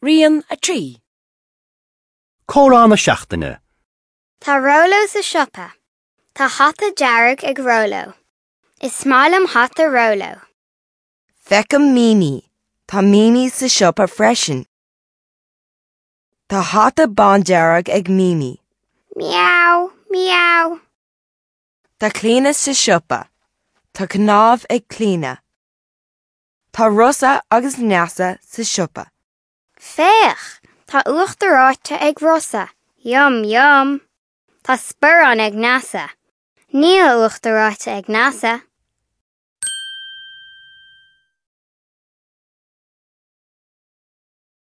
Rian 3. Comhrá na seachtaine. Tá Róló sa siopa. Tá hata dearg ag Róló. Is maith liom hata Róló. Feicim Mimi. Tá Mimi sa siopa freisin. Tá hata bándearg ag Mimi. Miau, miau. Tá Clíona sa siopa. Tá cnámh ag Clíona. Tá Rosa agus Neasa sa siopa. Féach, tá uachtar reoite ag Rosa. Yum yum. Tá sparán ag Neasa. Níl uachtar reoite ag Neasa.